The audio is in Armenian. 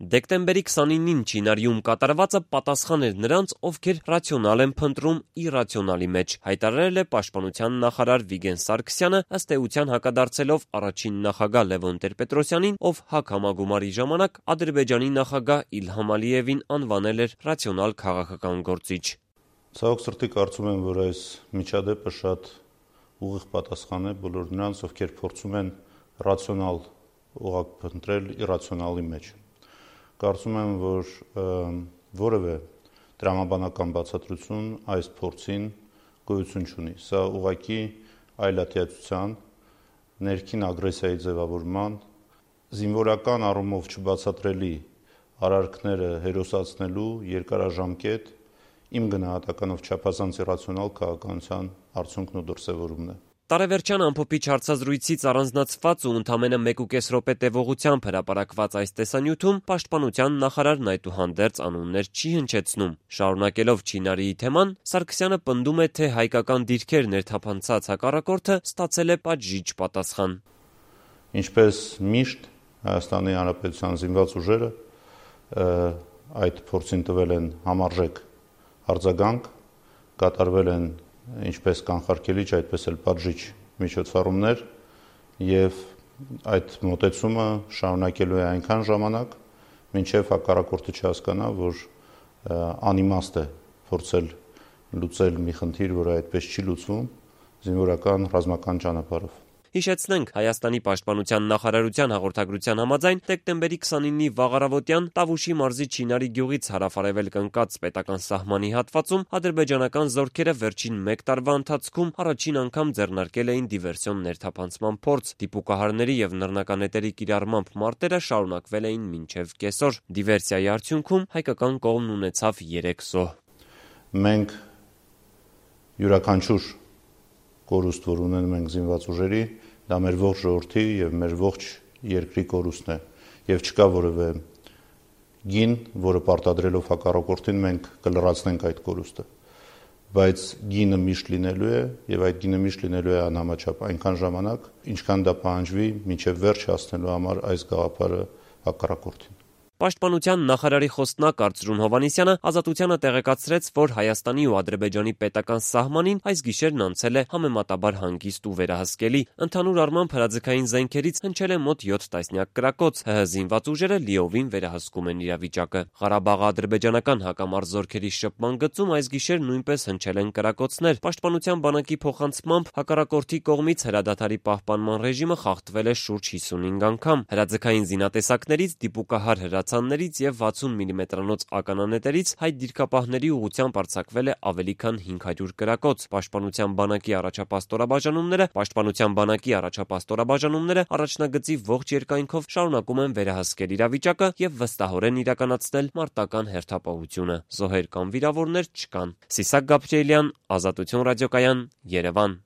Դեկտեմբերի 29-ին Չինարիում կատարվածը պատասխան էր նրանց, ովքեր ռացիոնալ են փնտրում իրացիոնալի մեջ, հայտարարել է պաշտպանության նախարար Վիգեն Սարգսյանը, ըստ էության հակադարձելով առաջին նախագահ Լևոն Տեր-Պետրոսյանին, ով ՀԱԿ համագումարի ժամանակ Ադրբեջանի նախագահ Իլհամ Ալիևին անվանել էր ռացիոնալ քաղաքական գործիչ։ Ցավոք սրտի կարծում եմ, որ այս միջադեպը շատ ուղիղ պատասխան է բոլոր նրանց, ովքեր փորձում են ռացիոնալ ուղղակ փնտրել իրացիոնալի մեջ։ Կարծում եմ, որ որևէ տրամաբանական բացատրություն այս փորձին գոյություն չունի։ Սա ուղղակի այլատիացության, ներքին ագրեսիայի ձևավորման, զինվորական առումով չբացատրելի արարքները հերոսացնելու երկարաժամկետ իմ գնահատականով չափազանց իրացիոնալ քաղաքականության արդյունքն ու դրսևորումն է։ Տարեվերջյան ամփոփիչ հարցազրույցից առանձնացված ու ընդամենը 1.5 րոպե տևողությամբ հրապարակված այս տեսանյութում պաշտպանության նախարարն այդուհանդերձ անուններ չի հնչեցնում։ Շարունակելով Չինարիի թեման, Սարգսյանը պնդում է, թե հայկական դիրքեր ներթափանցած հակառակորդը ստացել է պատժիչ պատասխան։ Ինչպես միշտ Հայաստանի Հանրապետության զինված ուժերը այդ փորձին տվել են համարժեք արձագանք, կատարվել են ինչպես կանխարգելիչ, այդպես էլ պատժիչ միջոցառումներ եւ այդ մոտեցումը շարունակելու է այնքան ժամանակ, մինչեւ հակառակորդը չհասկանա, որ անիմաստ է փորձել լուծել մի խնդիր, որը այդպես չի լուծվում զինվորական ռազմական ճանապարհով։ Հիշեցնենք, Հայաստանի պաշտպանության նախարարության հաղորդագրության համաձայն դեկտեմբերի 29-ի վաղ առավոտյան Տավուշի մարզի Չինարի գյուղից հարավարևելք ընկած պետական սահմանի հատվածում ադրբեջանական զորքերը վերջին 1 տարվա ընթացքում առաջին անգամ ձեռնարկել էին դիվերսիոն ներթափանցման փորձ։ Դիպուկահարների եւ նռնականետերի կիրառմամբ մարտերը շարունակվել էին մինչեւ կեսօր։ Դիվերսիայի արդյունքում հայկական կողմն ունեցավ 3 զոհ։ Մենք յուրաքանչյուր կորուստ, որ ունենում ենք զինված ուժերի, դա մեր ողջ ժողովրդի եւ մեր ողջ երկրի կորուստն է եւ չկա որևէ գին, որը պարտադրելով հակառակորդին մենք կլրացնենք այդ կորուստը, բայց գինը միշտ լինելու է եւ այդ գինը միշտ լինելու է անհամաչափ այնքան ժամանակ, ինչքան դա պահանջվի մինչեւ վերջ հասնելու համար այս գաղափարը հակառակորդին։ Պաշտպանության նախարարի խոսնակ Արծրուն Հովհաննիսյանը Ազատությանը տեղեկացրեց, որ Հայաստանի ու Ադրբեջանի պետական սահմանին այս գիշերն անցել է համեմատաբար հանգիստ ու վերահսկելի։ Ընդհանուր առմամբ հրաձգային զենքերից հնչել է մոտ 7 տասնյակ կրակոց։ ՀՀ զինված ուժերը լիովին վերահսկում են իրավիճակը։ Ղարաբաղի ադրբեջանական հակամարտ զորքերի շփման գծում այս գիշեր նույնպես հնչել են կրակոցներ։ Պաշտպանության բանակի փոխանցմամբ հակառակորդի կողմից հրադադարի պահպանման ռեժիմը խախտվել է շուրջ 55 անգամ։ Հրաձգային զինատեսակներից դիպուկահար հրացաններից եւ 60 մմ-անոց ականանետերից հայ դիրքապահների ուղղությամբ արձակվել է ավելի քան 500 կրակոց։ Պաշտպանության բանակի առաջնագծի ողջ երկայնքով շարունակում են վերահսկել իրավիճակը եւ վստահորեն իրականացնել մարտական հերթապահությունը։ Զոհեր կամ վիրավորներ չկան։ Սիսակ Գաբրիելյան, Ազատություն ռադիոկայան, Երևան։